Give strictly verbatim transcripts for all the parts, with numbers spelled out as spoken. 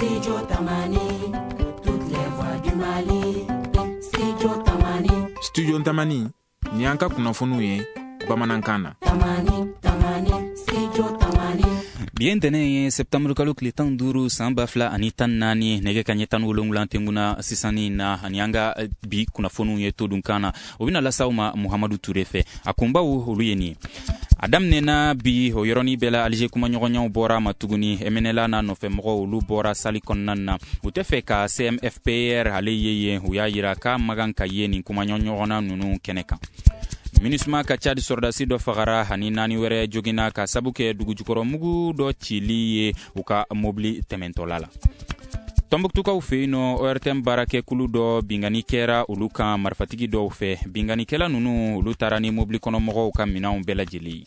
Studio Tamani, toutes les voix du Mali. Studio Tamani. Studio Tamani, ni y'an ka kunnafoniw ye bamanankan na. Tamani, Tamani, Studio Tamani. Bi ye ntɛnɛn ye, septembre kalo tile tan duuru, san ba fila ani tan naani, nɛgɛ ka ɲɛ tan ni wolonwula tɛnkuna sisanni na. Ani an ka bi kunnafoniw ye todunkan na, o bɛna lase aw ma Muhamadu Ture fɛ. A kunbaw, olu ye nin ye: a daminɛna bi, o yɔrɔnin bɛɛ la Alize kumaɲɔgɔnyaw bɔra ma tuguni. M N L A n'a nɔfɛmɔgɔw, olu bɔra sali kɔnɔna na. U tɛ fɛ ka C M F P R ale ye yen. U y'a yira k'a man kan ka ye nin kumaɲɔgɔnna ninnu kɛnɛ kan. MINUSMA ka Cadi sɔrɔdasi dɔ fagara ani naani wɛrɛ joginna ka sabu kɛ dugujukɔrɔmugu dɔ cili ye u ka mobili tɛmɛntɔla la. Tɔnbuktukaw fɛ yen nɔ, O R T M baarakɛkulu dɔ, bingani kɛra olu kan marifatigi dɔw fɛ. Binganikɛla ninnu, olu taara ni mobili kɔnɔmɔgɔw ka minɛnw bɛɛ lajɛlen.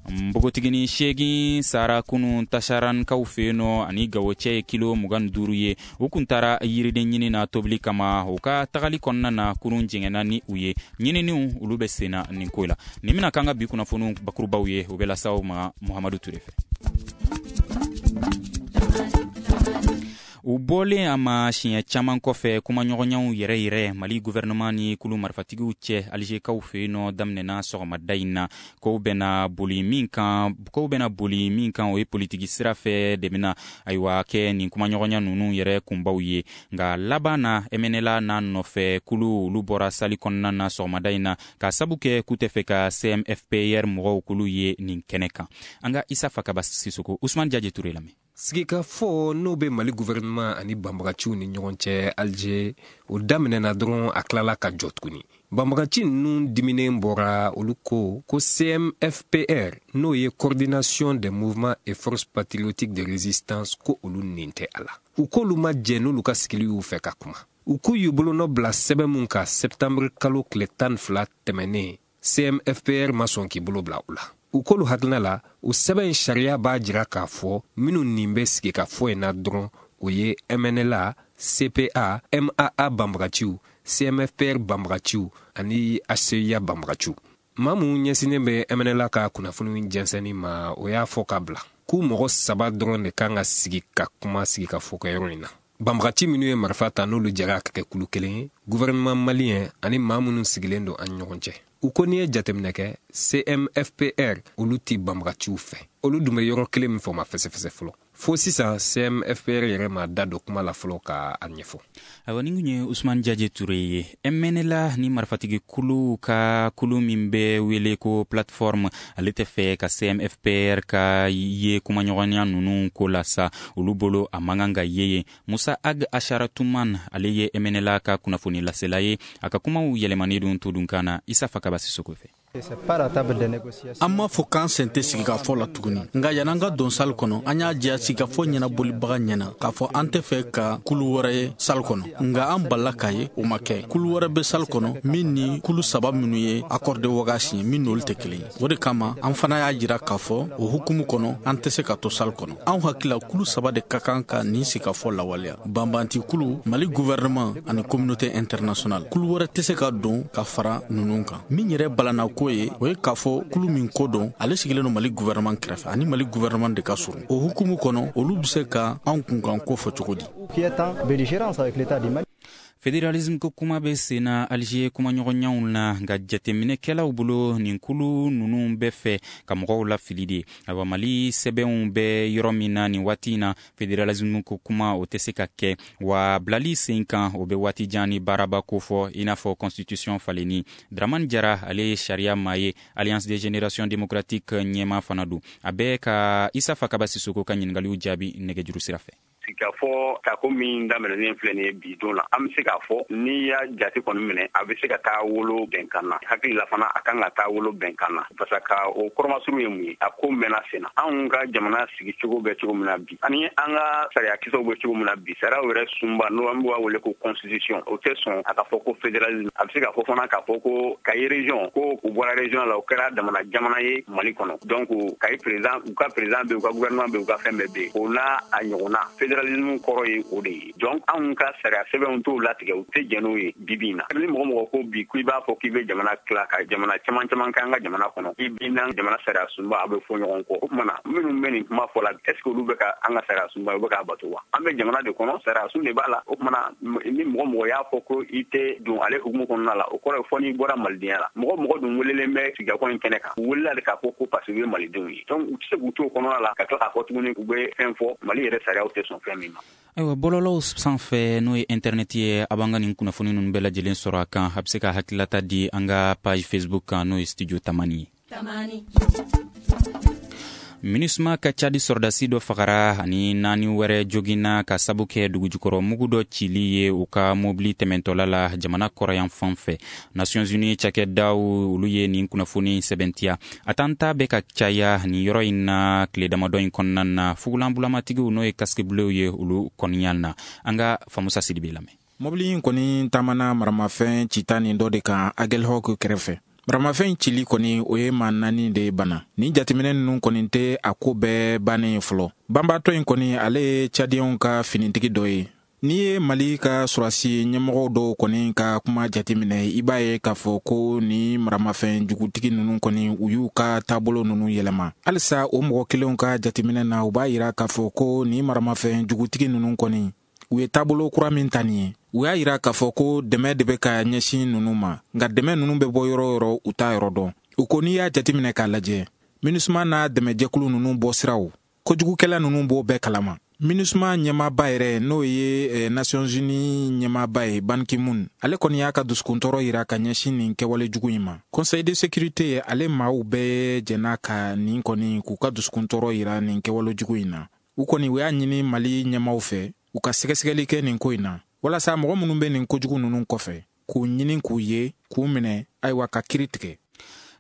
Npogotigini seegin sara kunun Tasarankaw fɛ yen nɔ, ani Gawo cɛ ye kilo mugan duuru ye. U kun taara yiriden ɲini na tobili kama. U ka tagali kɔnɔna na, kurun jɛngɛnna ni u ye. Ɲininiw, olu bɛ senna nin ko la. Nin bɛna k'an ka bi kunnafoniw bakurubaw ye, u bɛ lase aw ma Muhamadu Ture fɛ. U bɔlen a ma siɲɛ caman kɔfɛ, kumaɲɔgɔnyaw yɛrɛ yɛrɛ Mali gouvernement ni kulu marifatigiw cɛ Alizekaw fɛ yen nɔ daminɛna sɔgɔmada in na. Kow bɛna boli min kan kow bɛna boli min kan o ye politiki sira fɛ de bɛna, ayiwa, kɛ nin kumaɲɔgɔnya ninnu yɛrɛ kunbaw ye. Nka laban na, M N L A n'a nɔfɛ kulu, olu bɔra sali kɔnɔna na sɔgɔmada in na ka sabu kɛ k'u tɛ fɛ ka C M F P R mɔgɔw kulu ye nin kɛnɛ kan. An ka Isa Fakaba Sisoko, Usman Jaje Ture lamɛn. Sigikafɔ n'o bɛ Mali gouvernement ani banbagaciw ni ɲɔgɔn cɛ Alger, o daminɛna dɔrɔn, a tilala ka jɔ tuguni. Banbagaci ninnu diminen bɔra. Olu ko ko C M F P R, n'o ye Coordination des mouvements et forces patriotiques de résistance, ko olu nin tɛ a la. U k'olu ma jɛ n'olu ka sigili y'u fɛ ka kuma. U k'u y'u bolonɔ bila sɛbɛn mun kan septembre kalo tile tan ni fila tɛmɛnen, C M F P R ma sɔn k'i bolo bila u la. U k'olu hakilina la, o sɛbɛn in sariya b'a jira k'a fɔ minnu nin bɛ sigi ka fɔ in na dɔrɔn, o ye M N L A, C P A, M A A banbagaciw, C M F P R banbagaciw ani H C I A banbagaciw. Maa mun ɲɛsinnen bɛ M N L A ka kunnafoni jɛnsɛnni ma, o y'a fɔ ka bila k'u mɔgɔ saba dɔrɔn de kan ka sigi ka kuma sigi ka fɔ kɛyɔrɔ in na: banbagaci minnu ye marifa ta, n'olu jɛra ka kɛ kulu kelen ye, gouvernement malien ani maa minnu sigilen don an ɲɔgɔn cɛ. U ko n'i ye jateminɛ kɛ, C M F P R, olu ti banbagaciw fɛ. Olu dun bɛ yɔrɔ kelen min fɔ, ma fɛsɛfɛsɛ fɔlɔ. Fo sisan, C M F P R yɛrɛ ma da don kuma la fɔlɔ ka a ɲɛfɔ. Ayiwa, nin kun ye Usman Jaje Ture ye. M N L A ni marifatigi kulu ka kulu min bɛ wele ko Plateforme, ale tɛ fɛ ka C M F P R ka ye kumaɲɔgɔnya ninnu ko la sa. Olu bolo, a man kan ka ye yen. Musa Ag Asharatuman, ale ye M N L A ka kunnafoni lasela ye. A ka kumaw yɛlɛmani don todunkan na Isa Fakaba Sisoko fɛ. An m'a fɔ k'an sen tɛ sigikafɔ la tuguni, nka yan'an ka don sali kɔnɔ, an y'a diya sigikafɔ ɲɛnabolibaga ɲɛna k'a fɔ an tɛ fɛ ka kulu wɛrɛ ye sali kɔnɔ. Nka an balila k'a ye o ma kɛ. Kulu wɛrɛ bɛ sali kɔnɔ min ni kulu saba minnu ye accord de Ouaga signé, min n'olu tɛ kelen ye. O de kama an fana y'a jira k'a fɔ o hukumu kɔnɔ, an tɛ se ka to sali kɔnɔ. Anw hakili la, kulu saba de ka kan ka nin sigikafɔ lawaleya: banbanti kulu, Mali gouvernement ani communauté internationale. Kulu wɛrɛ tɛ se ka don ka fara ninnu kan. Min yɛrɛ balana ko ye, o ye k'a fɔ kulu min ko don, ale sigilen don Mali gouvernement kɛrɛfɛ, ani Mali gouvernement de ka surun. O hukumu kɔnɔ, olu bɛ se ka anw kunkan ko fɔ cogo di? Fédéralisme ko kuma bɛ sen na Alize kumaɲɔgɔnyaw na, nka jateminɛkɛlaw bolo, nin kulu ninnu bɛ fɛ ka mɔgɔw lafili de. Ayiwa, Mali sɛbɛnw bɛ yɔrɔ min na nin waati in na, fédéralisme ko kuma, o tɛ se ka kɛ wa bilali sen kan, o bɛ waati jan ni baaraba ko fɔ, i n'a fɔ constitution falenni. Dramani Jara, ale ye sariya maa ye, Alliance des générations démocratiques ɲɛma fana don. A bɛ ka Isa Fakaba Sisoko ka ɲiningaliw jaabi nɛgɛjuru sira fɛ. Sigikafɔ tako min daminɛnen filɛ nin ye bi don la, an bɛ se k'a fɔ n'i y'a jate kɔni minɛ, a bɛ se ka taa wolo bɛnkan na. Hakili la fana, a kan ka taa wolo bɛnkan na, parce que o kɔrɔmasuru ye mun ye? A ko mɛnna sen na. Anw ka jamana sigicogo bɛ cogo min na bi, ani an ka sariyakisɛw bɛ cogo min na bi, sariyaw yɛrɛ sunba, n'o an b'a wele ko constitution, o tɛ sɔn a ka fɔ ko fédéralisme. A bɛ se k'a fɔ fana k'a fɔ ko Kayi région, ko u bɔra région la, o kɛra jamana jamana ye Mali kɔnɔ. Donc Kayi président, u ka président bɛ yen, u ka gouvernement bɛ yen, u ka fɛn bɛɛ bɛ yen, o n'a a ɲɔgɔnna. Fédéralisme kɔrɔ ye o de ye. Donc anw ka sariya sɛbɛnw t'o latigɛ, u tɛ jɛn n'o ye bi bi in na. Ni mɔgɔ mɔgɔ ko bi ko i b'a fɔ k'i bɛ jamana tila ka jamana caman caman kɛ an ka jamana kɔnɔ, i b'i n'an jamana sariya sunba a bɛ fɔ ɲɔgɔn kɔ. O tuma na minnu bɛ nin kuma fɔ la, est ce que olu bɛ ka an ka sariya sunba u bɛ k'a bato wa? An bɛ jamana de kɔnɔ, sariya sun de b'a la. O tuma na ni mɔgɔ mɔgɔ y'a fɔ ko i tɛ don ale hukumu kɔnɔna la, o kɔrɔ ye fɔ n'i bɔra malidenya la. Mɔgɔ mɔgɔ dun welelen bɛ sigikafɔ in kɛnɛ kan, u welela de k'a fɔ ko parce que u ye malidenw ye. Donc u tɛ se k'u to o kɔnɔna la ka tila k'a fɔ tuguni u bɛ fɛn fɔ Mali yɛrɛ sariyaw tɛ sɔn fɛn min ma. Ayiwa, bɔlɔlɔw sanfɛ n'o ye internet ye, a b'an ka nin kunnafoni ninnu bɛɛ lajɛlen sɔrɔ a kan. A bɛ se ka hakililata di an ka page Facebook kan, n'o ye Studio Tamani ye. Tamani. MINUSMA ka Cadi sɔrɔdasi dɔ fagara ani naani wɛrɛ joginna ka sabu kɛ dugujukɔrɔ mugu dɔ cili ye u ka mobili tɛmɛntɔla la jamana kɔrɔyan fan fɛ. Nations Unies cakɛdaw olu ye nin kunnafoni sɛbɛntiya. A tanta bɛ ka caya nin yɔrɔ in na tile damadɔ in kɔnɔna na, fugulanbulamatigiw n'o ye casque bleu ye olu kɔniya na. An ka Famusa Sidibe lamɛn. Mobili in kɔni taamana maramafɛn cita nin dɔ de kan Aguelhok kɛrɛfɛ. Maramafɛn cili kɔni o ye maa naani de bana. Nin jateminɛ ninnu kɔni tɛ a ko bɛɛ bannen ye fɔlɔ. Banbaatɔ in kɔni ale ye Tchadiens ka finitigi dɔ ye. N'i ye Mali ka sɔrɔdasi ɲɛmɔgɔw dɔw kɔni ka kuma jateminɛ, i b'a ye k'a fɔ ko ni maramafɛn jugutigi ninnu kɔni u y'u ka taabolo ninnu yɛlɛma. Halisa o mɔgɔ kelenw ka jateminɛ na, u b'a yira k'a fɔ ko ni maramafɛn jugutigi ninnu kɔni u ye taabolo kura min ta nin ye. U y'a yira k'a fɔ ko dɛmɛ de bɛ ka ɲɛsin ninnu ma, nka dɛmɛ ninnu bɛ bɔ yɔrɔ o yɔrɔ u t'a yɔrɔ dɔn. U ko n'i y'a jateminɛ k'a lajɛ, MINUSMA n'a dɛmɛjɛkulu ninnu bɔ siraw, kojugukɛla ninnu b'o bɛɛ kalama. MINUSMA ɲɛmaaba yɛrɛ n'o ye Nations Unies ɲɛmaaba ye Ban Ki-moon, ale kɔni y'a ka dusukuntɔɔrɔ yira ka ɲɛsin nin kɛwale jugu in ma. Conseil de sécurité ale maaw bɛɛ jɛnna ka nin kɔni k'u ka dusukuntɔɔrɔ yira nin kɛwale jugu in na. U kɔni u y'a ɲini Mali ɲɛmaaw fɛ u ka sɛgɛsɛgɛli kɛ nin ko in na, walasa mɔgɔ minnu bɛ nin kojugu ninnu kɔfɛ k'u ɲini k'u ye k'u minɛ, ayiwa ka kiri tigɛ.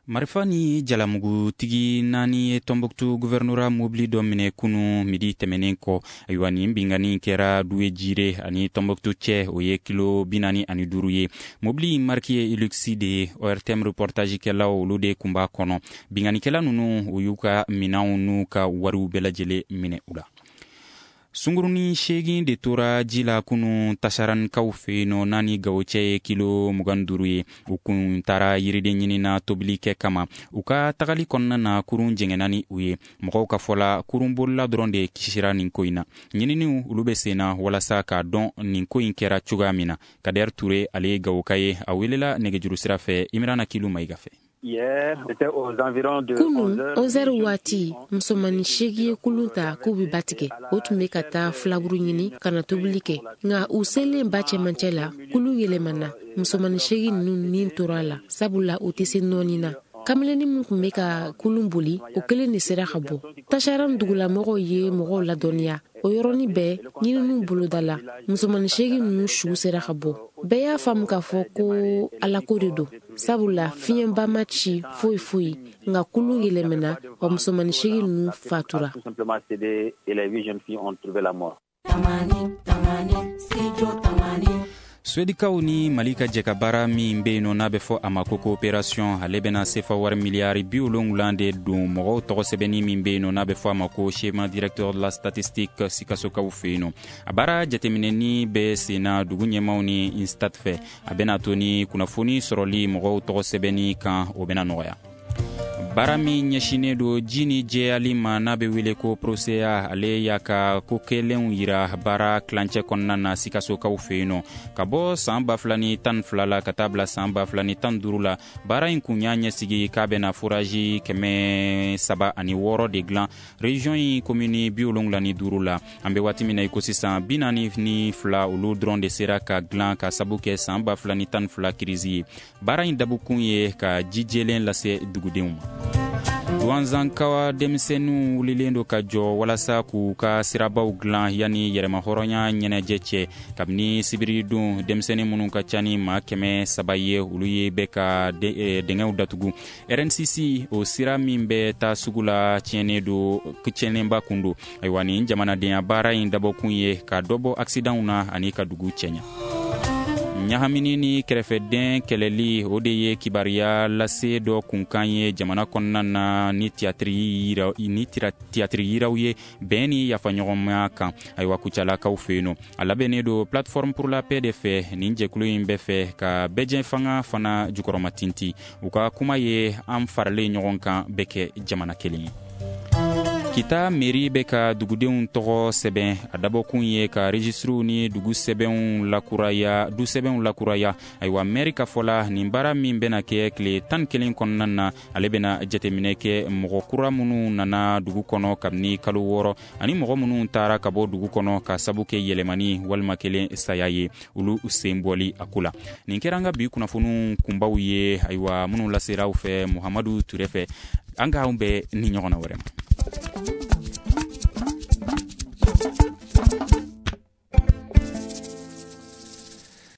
Marifa ni jalamugutigi naani ye Tombouctou gouvernorat mobili dɔ minɛ kunu midi tɛmɛnen kɔ. Ayiwa, nin binkanni kɛra Duwe Jire ani Tombouctou cɛ, o ye kilo bi naani ani duuru ye. Mobili in marque ye Hilux de ye. O R T M reportage kɛlaw olu de kun b'a kɔnɔ. Binkannikɛla ninnu u y'u ka minɛnw n'u ka wariw bɛɛ lajɛlen minɛ u la. Sunguruni seegin de tora ji la kunu Tasarankaw fɛ yen nɔ, n'a ni Gawo cɛ ye kilo mugan duuru ye. U kun taara yiriden ɲini na tobili kɛ kama. U ka tagali kɔnɔna na, kurun jɛngɛnna ni u ye. Mɔgɔw ka fɔ la, kurunbolila dɔrɔn de kisira nin ko in na. Ɲininiw olu bɛ sen na walasa k'a dɔn nin ko in kɛra cogoya min na. Kader Ture ale ye Gawoka ye, a welela nɛgɛjuru sira fɛ Imrana Kilu Mayiga fɛ. Kunu onze heures waati, musomanin seegin ye kulun ta k'u bɛ ba tigɛ. O tun bɛ ka taa filaburu ɲini ka na tobili kɛ, nka u selen ba cɛmancɛ la, kulun yɛlɛmana. Musomanin seegin ninnu ni tora a la, sabula u tɛ se nɔɔni na. Kamalennin min tun bɛ ka kulun boli, o kelen de sera ka bɔ. Tasaran dugulamɔgɔw ye mɔgɔw ladɔnniya. O yɔrɔnin bɛɛ ɲininiw bolodala, musomanin seegin ninnu su sera ka bɔ. Bɛɛ y'a faamu k'a fɔ ko alako de don, sabula fiɲɛba ma ci foyi foyi, nka kulun yɛlɛmana wa musomanin seegin ninnu fatura. Suedikaw ni Mali ka jɛkabaara min bɛ yen nɔ n'a bɛ fɔ a ma ko coopération, ale bɛna sefa wari miliyari bi wolonwula de don mɔgɔw tɔgɔ sɛbɛnni min bɛ yen nɔ n'a bɛ fɔ a ma ko schéma directeur de la statistique Sikasokaw fɛ yen nɔ. A baara jateminɛni bɛ sen na dugu ɲɛmaaw ni INSTAT fɛ. A bɛna to ni kunnafoni sɔrɔli mɔgɔw tɔgɔ sɛbɛnni kan, o bɛna nɔgɔya. Baara min ɲɛsinnen don ji ni jɛyali ma n'a bɛ wele ko PROSEA, ale y'a ka ko kɛlenw yira baara tilancɛ kɔnɔna na Sikasokaw fɛ yen nɔ. Ka bɔ san ba fila ni tan ni fila la ka taa bila san ba fila ni tan ni duuru la, baara in kun y'a ɲɛsigi k'a bɛna forage kɛmɛ saba ani wɔɔrɔ de dilan région in commune bi wolonwula ni duuru la. An bɛ waati min na i ko sisan, bi naani ni fila olu dɔrɔn de sera ka dilan ka sabu kɛ san ba fila ni tan ni fila kirisi ye. Baara in dabɔkun ye ka ji jɛlen lase dugudenw ma. Duwanzankawa denmisɛnninw wulilen don ka jɔ walasa k'u ka sirabaw dilan yanni yɛrɛmahɔrɔnya ɲɛnajɛ cɛ. Kabini sibiridon, denmisɛnnin minnu ka ca ni maa kɛmɛ saba ye, olu ye bɛ ka dingɛw datugu. R N C C o sira min bɛ taa sugu la tiɲɛnen don, tiɲɛnenba kun don. Ayiwa, nin jamanadenya baara in dabɔkun ye ka dɔ bɔ accidentw na ani ka dugu cɛɲa. Ɲagamini ni kɛrɛfɛden kɛlɛli, o de ye kibaruya lase dɔ kunkan ye jamana kɔnɔna na ni tiyatiri yira ni tiyatiri yiraw ye bɛn ni yafaɲɔgɔnmaya kan. Ayiwa, Kucalakaw fɛ yen nɔ, a labɛnnen don Plateforme pour la paix de fɛ. Nin jɛkulu in bɛ fɛ ka bɛɛjɛ fanga fana jukɔrɔma tinti. U ka kuma ye an faralen ɲɔgɔn kan bɛ kɛ jamana kelen ye. Kita mairie bɛ ka dugudenw tɔgɔ sɛbɛn. A dabɔkun ye ka registres ni dugu sɛbɛnw lakuraya, du sɛbɛnw lakuraya. Ayiwa, maire ka fɔ la, nin baara min bɛna kɛ tile tan kelen kɔnɔna na, ale bɛna jateminɛ kɛ mɔgɔ kura minnu nana dugu kɔnɔ kabini kalo wɔɔrɔ, ani mɔgɔ minnu taara ka bɔ dugu kɔnɔ ka sabu kɛ yɛlɛmani walima kelen saya ye, olu sen bɔli a ko la. Nin kɛra an ka bi kunnafoniw kunbaw ye, ayiwa, minnu lasera aw fɛ Muhamadu Ture fɛ. An k'anw bɛɛ ni ɲɔgɔn na wɛrɛ ma.